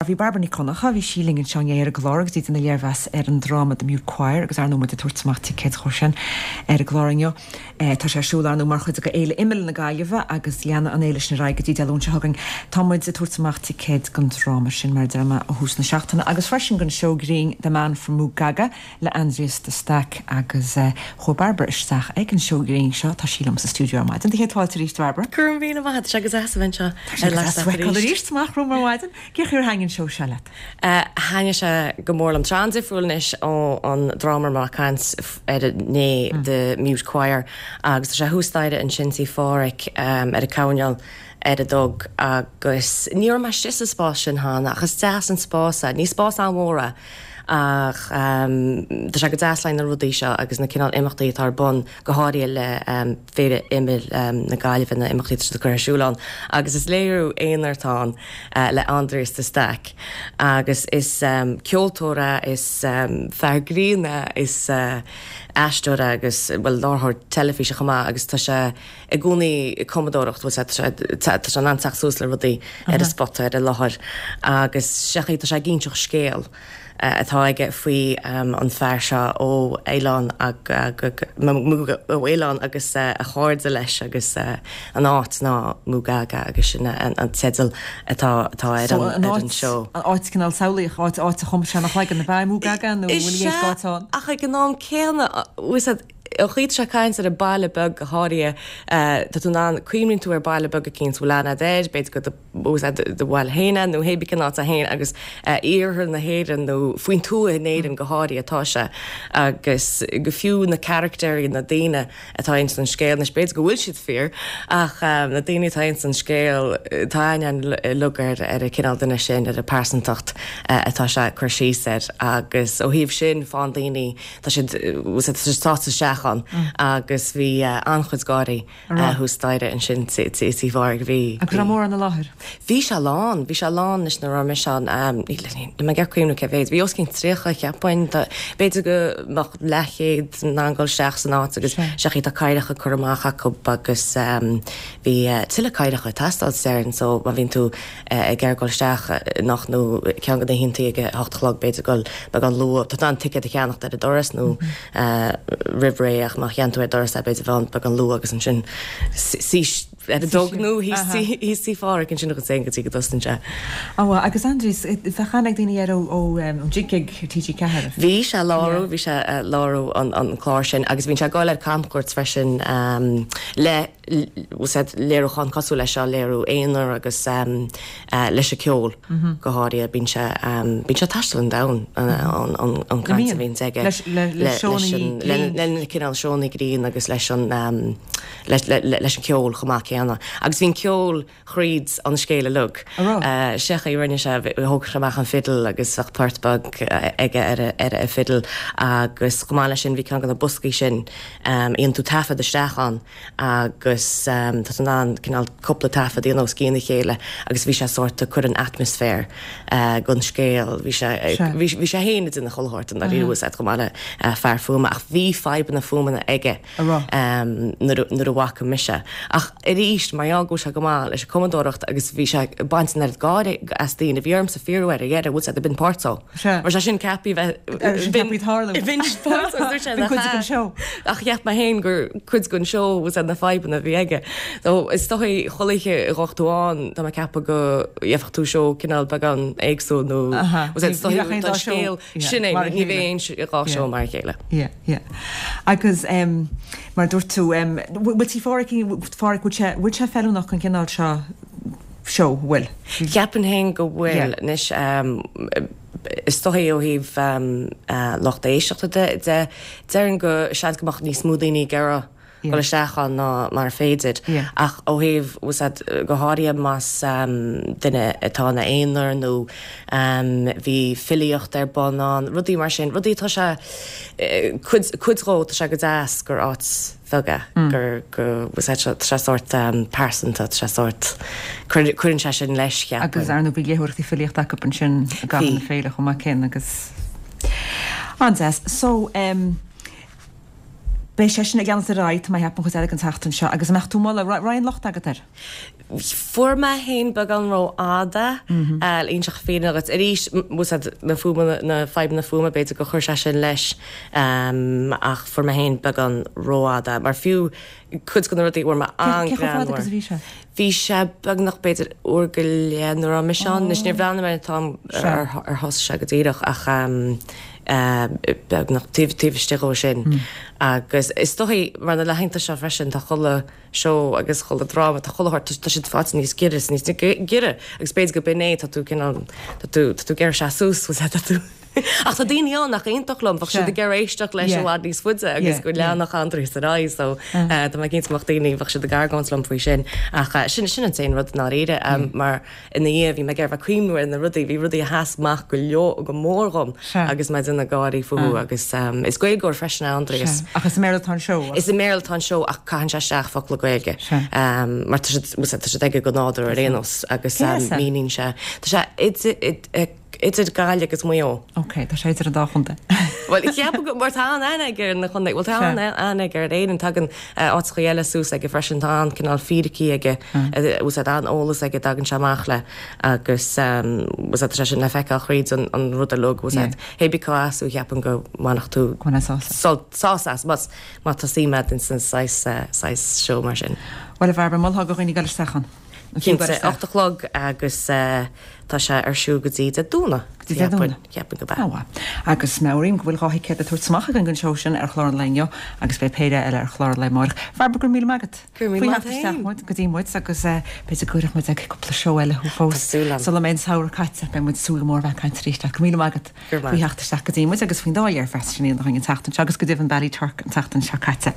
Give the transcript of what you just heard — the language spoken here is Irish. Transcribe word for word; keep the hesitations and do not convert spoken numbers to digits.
Bhí Bairbre Nic Dhonncha, bhí sí linn anseo inné ar an gclár agus í ag déanamh léirmheas ar an dráma The Mute Choir agus ar ndóigh muid ag tabhairt amach ticéid dhó sin ar an gclár inniu. Tá sé ar siúl ar ndóigh mar chuid de Fhéile Imill na Gaillimhe agus leanfaidh an fhéile sin ar aghaidh go dtí Dé Luain seo chugainn. Tá muid ag tabhairt amach ticéid don dráma sin mar a deir mé ó thús na seachtaine agus freisin don seó grinn The Man from Mugaga le Aindrias de Staic agus chuaigh Bairbre isteach ag an seó grinn seo. Tá sí liom sa stiúideo ar maidin. Do chéad fáilte arís Bairbre. Go raibh míle maith agat, tá sé go deas a bheith anseo Tá sé go deas feiceáil arís amach romham ar maidin. Cén chaoi ar thaitin an seó seo leat? Thaitnigh sé go mór liom. Tá sé an-difriúil anois ó an dráma a raibh mé ag caint air inné The Mute Choir agus tá sé thuas staighre ansin Tí Phádhraic ar an coirnéal ar a dó agus ní raibh mé istigh sa spás sin cheana ach is deas an spás é. Ní spás an-mhór é ach tá sé go deas le na rudaí seo agus na cineál imeachtaí atá ar bun go háirithe le Féile Imill na Gaillimhe na imeachtaí atá curtha ar siúl ann agus is léiriú aonair atá ann le Aindrias de Staic agus is ceoltóir é, is fear grinn é, is aisteoir é agus bhuel láithreoir teilifíse chomh maith agus tá sé i gcónaí ag cumadóireacht bhuel tá sé tá sé in ann teacht suas le rudaí ar an spota ar an láthair agus seachas tá sé ag inseacht scéal atá aige faoi an fear seo ó oileán ó oileán agus a chairde leis agus an áit ná Mugaga agus sin an teideal atá atá ar an ar an seó. An áit cineál samhlaíoch áit áit a chum sé ina chloigeann ab ea Mugaga nó bhfuil a fhios cá áit ann? Ach ag an am céanna an chaoi atá sé ag caint ar an baile beag go háirithe tá tú in ann cuimhníonn tú ar baile beag eicínt bhfuil aithne agat air b'fhéidir gur do do bhaile féin é nó hé bí cén áit é féin agus iarthar na hÉireann nó faoin tuath in Éirinn go háirithe atá sé agus go fiú na caractéirí na daoine atá ins an scéal anois b'fhéidir go bhfuil siad fíor ach na daoine atá ins an scéal tá aithne uilig ar ar an cineál duine sin ar an pearsantacht atá sé ag cur síos air agus ó thaobh sin faigheann daoine tá siad tá siad sáite isteach ann agus bhí an-chuid gáirí thuas staighre ansin Tí Phádraig bhí. Agus raibh mórán i láthair? Bhí sé lán, bhí sé lán anois nuair a raibh mise ann, níl mé ag cuimhneamh cé mhéad, bhí os cionn tríocha cheapfainn, b'fhéidir go mbeadh leathchéad in ann dul isteach san áit agus seachas tá cathaoireacha curtha amach acu agus bhí tuilleadh cathaoireacha ag teastáil déarfainn so má bhíonn tú ag iarraidh dul isteach anocht nó ceann de na hoícheantaí ag a hocht a chlog b'fhéidir dul beagán luath, tá tú in ann ticéad a cheannacht ar an doras nó roimh ré ach má cheannaíonn tú ar an doras é b'fhéidir bheith ann beagán luath agus ansin suí ar an dog nó thíos Tí Phádraig ansin agus é go dtí go dtosaíonn sé. Ó agus Aindrias, bheadh aithne ag daoine air ó ó Jig Gig ar TG Ceathair. Bhí sé ag láithriú, bhí sé ag láithriú an clár sin agus bhíonn sé ag dul ar camchuairt freisin le léiriúchán cosúil leis seo, léiriú aonair agus leis an ceol go háirithe. Bíonn sé bíonn sé ag taisteal an domhan an an caint a bhíonns aige leis le na cineál seónna grinn agus leis an leis an ceol chomh maith céanna. Agus bhí an ceol thríd an scéal uilig. Sé chaoi a rinne sé, thóg sé amach an fidil agus bheadh port beag aige ar ar a fidil agus chomh maith leis sin bhí ceann de na boscaí sin a dhéanann tú taifead isteach ann agus tá tú in ann cineál cúpla taifead a dhéanamh os cionn a chéile agus bhí sé sórt ag cur an atmaisféar don scéal. Bhí sé bhí sé féin ag déanamh chuile shórt i ndáiríre chomh maith le fear fuaime ach bhí fadhbanna fuaimeanna aige nuair nuair a bhfaca mise. Ach arís mar gheall go bhfuil sé go maith leis an cumadóireacht agus bhí sé ag baint an oiread gáire as daoine, bhí ormsa fiafraí air ar dheireadh, bhfuil sé b'in páirt dó. Mar sé sin ceaptha bheith b'in tarlú. B'in páirt dó, dúirt sé B'in cuid den seó. Ach cheap mé féin gur cuid den seó was na fadhbanna a bhí aige. So is dóigh chuile oíche a ghabhfadh tú ann tá mé ag ceapadh go gheobhadh tú seó cineál beagán éagsúil nó was is dóigh tá scéal sin é ní bheidh aon dhá seó mar a chéile. Yeah, yeah. Agus um, mar dúirt tú um, bhfuil Tí Phádraig Phádraig bhfuil sé bhfuil sé feiliúnach an cineál seo seó bhfuil? Cheapfainn féin go bhfuil anois um, is dóigh ó thaobh um, uh, lucht éisteachta de de déarfainn go seans go mbeadh níos mó daoine ag iarraidh dul isteach ann ná mar féidir ach ó thaobh was go háirithe más um, duine atá ina aonar nó um, bhí filíocht ar bun ann, rudaí mar sin, rudaí tá sé cuid cuid dhó tá sé go deas gur áit bheag é gur go was tá sé sórt um, pearsanta tá sé sórt cuireann sé sin leis Agus cheapfainn. ar ndóigh bhí léitheoireachtaí filíochta acu ansin i gcaitheamh na Bhí. féile chomh maith céanna agus an-deas. So um, Beidh sé sin ag leanacht ar aghaidh, tá mé ag ceapadh, an chuid eile den tseachtain seo agus an mbeadh tú ag moladh, raibh aon locht agat air? Fuair mé féin beagán rófhada le inseacht fírinne dhuit. Arís, úsáid na fuaime, na fadhbanna fuaime, b'fhéidir gur chuir sé sin leis ach fuair mé féin beagán rófhada mar fiú cuid de na rudaí a bhfuair mé Cé chomh fada agus a bhí sé? Bhí sé beagnach b'fhéidir uair go leith nuair a raibh mise ann. Anois níor bhreathnaigh mé ar an t-am ar thosaigh sé go díreach ach beagnach taobh taobh istigh dhó sin. Agus is dóichí mar na laethanta seo freisin tá chuile seó agus chuile dráma, tá chuile shórt, tá siad faighte níos giorra is níos giorra agus b'fhéidir go b'in é, tá tú cineál, tá tú, tá tú ag iarraidh seasamh suas, tá tú Ach tá daoine ann nach aontódh liom, bheadh siad ag iarraidh éisteacht leis i bhfad níos faide agus go leanfadh Aindrias ar aghaidh so tá mé cinnte go mbeadh daoine, bheadh siad ag argóint liom faoi sin ach sin, sin an t-aon rud i ndáiríre mar ina dhiaidh bhí mé ag iarraidh bheith ag cuimhniú ar na rudaí, bhí rudaí a sheas amach go leor, go mór dhom agus mé ag déanamh gáirí fúthu agus is Gaeilgeoir freisin é Aindrias. Ach is i mBéarla atá an seó? Is i mBéarla atá an seó ach caitheann sé isteach focla Gaeilge mar tá siad tá siad aige go nádúrtha ar aon nós agus míníonn sé tá sé idir idir Gaillimh agus Maigh Eo. Ok, tá sé idir an dá chontae. Bhuel, ceapaim go mar tá an-aithne aige ar na contae, bhuel tá an-aithne aige ar Éirinn, tagann áiteachaí eile suas aige freisin, tá an-cineál fíricí aige, úsáid an-eolas aige, tagann sé amach le agus úsáid tá sé sin le feiceáil thríd an an rud uilig, úsáid hé bí cá as thú cheapaim go mbainfeadh tú Go mbainfeá sásamh. sult, sásamh as, más má tá suim agat ins an saghas saghas seó mar sin. Bhuel a Bhairbre, mholfá do dhaoine dul isteach ann? An fiú dul Cinnte, isteach? ocht a chlog agus tá sé ar siúl go dtí Dé Domhnaigh. Go dtí Dé Domhnaigh. Cheapfainn go b'ea. Á mhaith. Agus meabhraím go bhfuil dhá thicéad le tabhairt amach againn don seó sin ar chlár an lae inniu agus beidh péire eile ar chlár an lae amárach. Bhairbre, go raibh míle maith agat. Go raibh míle Faoi maith theacht isteach féin. muid go dtí muid agus b'fhéidir go gcuirfidh muid ag cúpla seó eile thú fós. Tá súil agam. Sula mbeidh an samhradh caite, beidh muid ag súil go mór a bheith ag caint arís leat. Go raibh míle maith agat Go raibh faoi maith. theacht isteach go dtí muid agus faoin dá léirmheas sin againn an tseachtain seo agus go deimhin Ballyturk an tseachtain seo caite.